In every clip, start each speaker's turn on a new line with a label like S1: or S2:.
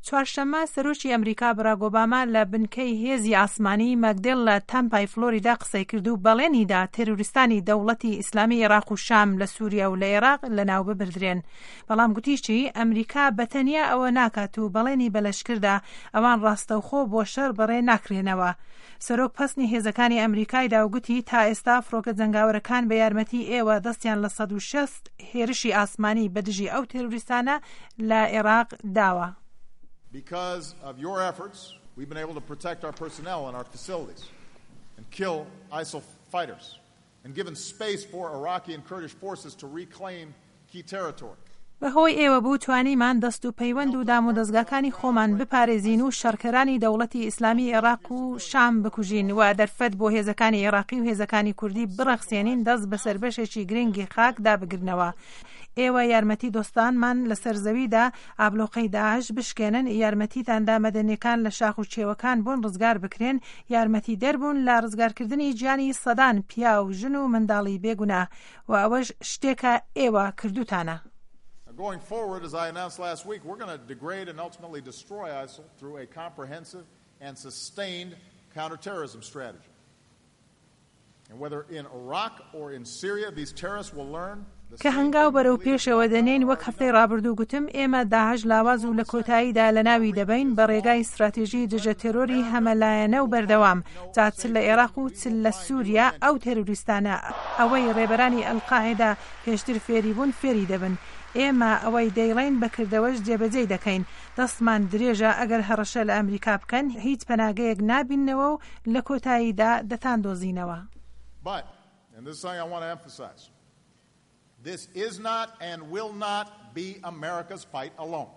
S1: چوارشەممە سەرۆکی ئەمریکا باراک ئۆباما لە بنکەی هێزی ئاسمانی مەکدێل لە تامپای فلۆریدا قسەی کرد و بەڵێنی دا تێرۆریستانی دەوڵەتی ئیسلامی ئێراق و شام لە سوریا و لە ئێراق لەناو ببردرێن. بەڵام گوتیشی ئەمریکا بە تەنیا ئەوە ناکات و بەڵێنی بە لەشکر دا ئەوان ڕاستەوخۆ بۆ شەڕ بەڕێ ناکرێنەوە. سەرۆک پەسنی هێزەکانی ئەمریکای دا و گوتی تا ئێستا فڕۆکە جەنگاوەرەکان بە یارمەتی ئێوە دەستیان لە 160 هێرشی ئاسمانی بە دژی ئەو تێرۆریستانە لە ئێراق داوە.
S2: Because of your efforts, we've been able to protect our personnel and our facilities and kill ISIL fighters and given space for Iraqi and Kurdish forces to reclaim key territory.
S1: بەهۆی ئێوە بوو توانیمان دەست و پەیوەند و دامودەزگاکانی خۆمان بپارێزین و شەڕکەرانی دەوڵەتی ئیسلامی ئێڕاق و شام بکوژین و دەرفەت بۆ هێزەکانی ئێڕاقی و هێزەکانی کوردی بڕەخسێنین دەست بەسەر بەشێکی گرنگی خاک دا بگرنەوە. ئێوە یارمەتی دۆستانمان لەسەر زەوی دا ئابلۆقەی داعش بشکێنن، یارمەتیتان دا مەدەنیەکان لە شاخ و کێوەکان بۆن ڕزگار بکرێن، یارمەتیدەر بوون لە ڕزگارکردنی گیانی سەدان پیاو، ژن و منداڵی بێگوناه. و ئەوەش شتێکە ئێوە کردوتانە.
S2: Going forward, as I announced last week, we're going to degrade and ultimately destroy ISIL through a comprehensive and sustained counterterrorism strategy. And whether in Iraq or in Syria, these terrorists will learn
S1: کە هەنگاو بەرەو پێشەوە دەنێین، وەک هەفتەی ڕابردوو گوتم، ئێمە داعش لاواز و لە کۆتاییدا لەناوی دەبەین بە ڕێگای ستراتیژی دژە تێرۆری هەمەلایەنە و بەردەوام، جا چ لە ئێراق و چ لە سوریا ئەو تێرۆریستانە ئەوەی ڕێبەرانی ئەلقاعیدە پێشتر فێری بوون فێری دەبن. ئێمە ئەوەی دەیڵێین بە کردەوەش جێبەجێی دەکەین. دەستمان درێژە ئەگەر هەڕەشە لە ئەمریکا بکەن هیچ پەناگەیەک نابیننەوە و لە کۆتاییدا دەتاندۆزینەوە.
S2: But, and this is something I want to emphasize, this is not and will not be America's fight alone.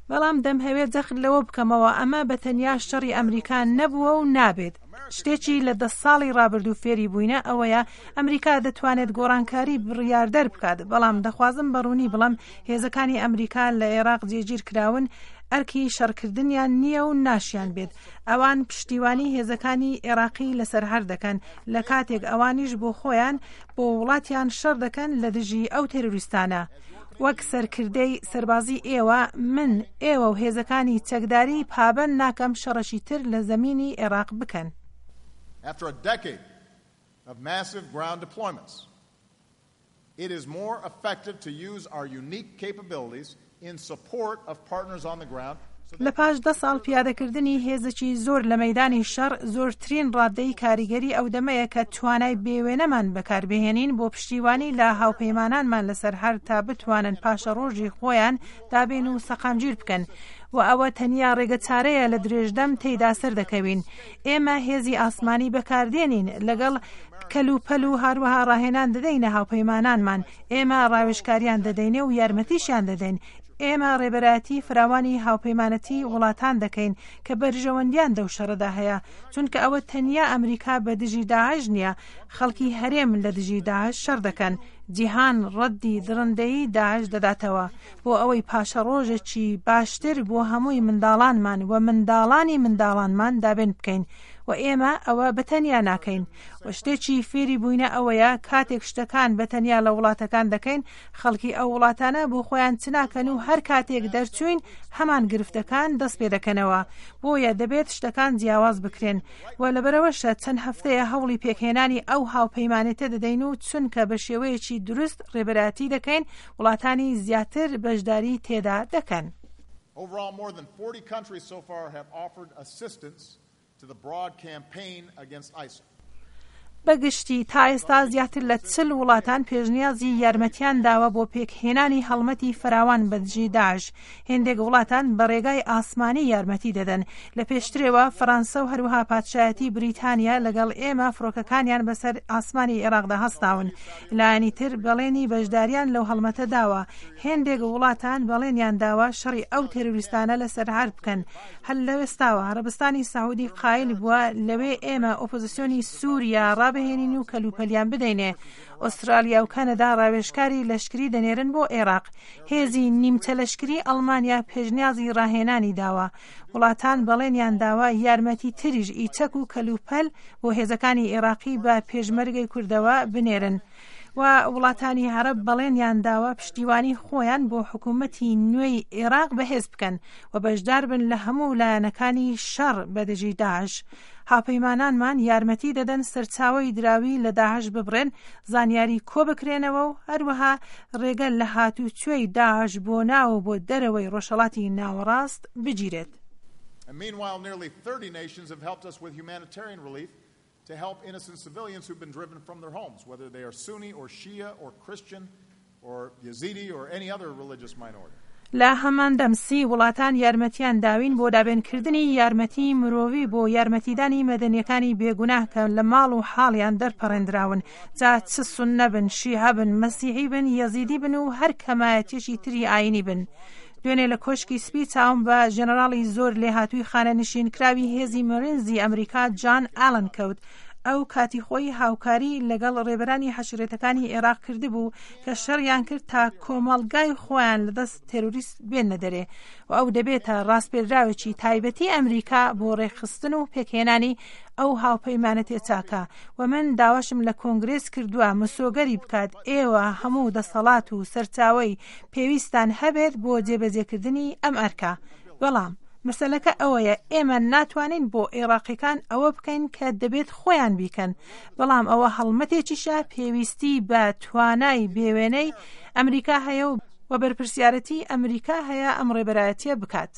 S1: بەڵام دەمهەوێت جەخت لەوە بکەمەوە ئەمە بە تەنیا شەڕی ئەمریکا نەبووە و نابێت. شتێکی لە دە ساڵی ڕابردوو فێری بووینە ئەوەیە ئەمریکا دەتوانێت گۆڕانکاری بڕیاردەر بکات، بەڵام دەخوازم بە ڕوونی بڵێم هێزەکانی ئەمریکا لە ئێراق جێگیر کراون ئەرکی شەڕکردنیان نییە و ناشیان بێت. ئەوان پشتیوانی هێزەکانی ئێراقی لەسەر هەر دەکەن لە کاتێک ئەوانیش بۆ خۆیان بۆ وڵاتیان شەڕ دەکەن لە دژی ئەو تێرۆریستانە. وەک سەرکردەی سەربازی ئێوە، من، ئێوە و هێزەکانی چەکداری پابەند ناکەم شەڕەکی تر لە زەمینی ئێراق بکەن.
S2: After a decade of massive ground deployments, it is more effective to use our unique capabilities in support of partners on the ground.
S1: لە پاش دە ساڵ پیادەکردنی هێزێکی زۆر لە مەیدانی شەڕ، زۆرترین ڕاددەی کاریگەری ئەو دەمەیە کە توانای بێوێنەمان بەکاربهێنین بۆ پشتیوانی لە هاوپەیمانانمان لەسەر هەر تا بتوانن پاشەڕۆژی خۆیان دابین و سەقامگیر بکەن و ئەوە تەنیا ڕێگەچارەیە لە درێژدەم تێیدا سەردەکەوین. ئێمە هێزی ئاسمانی بەکاردێنین لەگەڵ کەلوپەل و هەروەها ڕاهێنان دەدەینە هاوپەیمانانمان، ئێمە ڕاوێژکاریان دەدەینێ و یارمەتیشیان دەدەین. ئێمە ڕێبەرایەتی فراوانی هاوپەیمانەتی وڵاتان دەکەین کە بەرژەوەندیان دەو شەڕەدا هەیە، چونکە ئەوە تەنیا ئەمریکا بە دژی داعش نییە، خەڵکی هەرێم لە دژی داعش شەڕ دەکەن، جیهان ڕەدی دڕندەیی داعش دەداتەوە، بۆ ئەوەی پاشەڕۆژێکی باشتر بۆ هەمووی منداڵانمان و منداڵانی منداڵانمان دابین بکەین و ئێمە ئەوە بە تەنیا ناکەین و شتێکی فێری بووینە ئەوەیە کاتێک شتەکان بە تەنیا لە وڵاتەکان دەکەین خەڵکی ئەو وڵاتانە بۆ خۆیان چ ناکەن و هەر کاتێک دەرچووین هەمان گرفتەکان دەست پێ دەکەنەوە بۆیە دەبێت شتەکان جیاواز بکرێن و لەبەرئەوەشە چەند هەفتەیە هەوڵی پێکهێنانی ئەو هاوپەیمانێتە دەدەین و چونکە بە شێوەیەکی دروست ڕێبەرایەتی دەکەین وڵاتانی زیاتر بەشداری تێدا دەکەن.
S2: Overall, more than 40 countries so far have offered assistance to the broad campaign against ISIL.
S1: بە گشتی تا ئێستا زیاتر لە چل وڵاتان پێشنیازی یارمەتیان داوە بۆ پێکهێنانی هەڵمەتی فراوان بە دژی داعش. هێندێک وڵاتان بە ڕێگای ئاسمانی یارمەتی دەدەن. لە پێشترێوە فەرانسە و هەروەها پادشایەتی بریتانیا لەگەڵ ئێمە فڕۆکەکانیان بەسەر ئاسمانی ئێراقدا هەستاون. لایەنی تر بەڵێنی بەشداریان لەو هەڵمەتە داوە. هێندێک وڵاتان بەڵێنیان داوە شەڕی ئەو تێرۆریستانە لەسەر عەرد بکەن. هەر لەوێستاوە عەرەبستانی سەعودی قایل بووە لەوێ ئێمە ئۆپۆزسیۆنی سوریا ڕابهێنین و کەلوپەلیان بدەینێ. ئوسترالیا و کەنەدا ڕاوێژکاری لەشکری دەنێرن بۆ ئێراق. هێزی نیمچە لەشکری ئەڵمانیا پێشنیازی ڕاهێنانی داوە. وڵاتان بەڵێنیان داوە یارمەتی تریش ئی چەک و کەلوپەل بۆ هێزەکانی ئێراقی بە پێشمەرگەی کوردەوە بنێرن. و وڵاتانی عەرەب بەڵێنیان داوە پشتیوانی خۆیان بۆ حکوومەتی نوێی عێراق بەهێز بکەن و بەشدار بن لە هەموو لایەنەکانی شەڕ بە دژی داعش. هاوپەیمانانمان یارمەتی دەدەن سەرچاوەی دراوی لە داعش ببڕێن، زانیاری کۆبکرێنەوە و هەروەها ڕێگە لە هاتووچۆی داعش بۆ ناو و بۆ دەرەوەی ڕۆژهەڵاتی ناوەڕاست بگیرێت.
S2: And meanwhile, nearly 30 nations have helped us with humanitarian relief to help innocent civilians who've been driven from their homes, whether they are Sunni or Shia or Christian or Yazidi or any other religious minority.
S1: لە هەمان دەم سی وڵاتان یارمەتیان داوین بۆ دابێنکردنی یارمەتی مرۆڤی بۆ یارمەتیدانی مەدەنیەکانی بێگوناه کە لە ماڵ و حاڵیان دەرپەڕێندراون جا چ سوننە بن، شیعە بن، مەسیحی بن، یەزیدی بن و هەر کەمایەتیەکی تری ئاینی بن. دوێنێ لە کۆشکی سپی چاوم بە ژەنەراڵی زۆر لێهاتووی خانەنشینکراوی هێزی مەرینزی ئەمریکا جان ئالن کەوت. ئەو کاتی خۆی هاوکاری لەگەڵ ڕێبەرانی حەشرێتەکانی ئێراق کردبوو کە شەڕیان کرد تا کۆمەڵگای خۆیان لەدەست تێرۆریست بێننە دەرێ و ئەو دەبێتە ڕاسپێردراوێکی تایبەتی ئەمریکا بۆ ڕێکخستن و پێکهێنانی ئەو هاوپەیمانەتێ چاکە و من داواشم لە کۆنگرێس کردووە مسۆگەری بکات ئێوە هەموو دەسەڵات و سەرچاوەی پێویستتان هەبێت بۆ جێبەجێکردنی ئەم ئەرکە بەڵام مەسەلەکە ئەوەیە ئێمە ناتوانین بۆ ئێڕاقیەکان ئەوە بکەین کە دەبێت خۆیان بیکەن بەڵام ئەوە هەڵمەتێکیشە پێویستی بە توانای بێوێنەی ئەمریکا هەیە و بەرپرسیارەتی ئەمریکا هەیە ئەم ڕێبەرایەتیە بکات.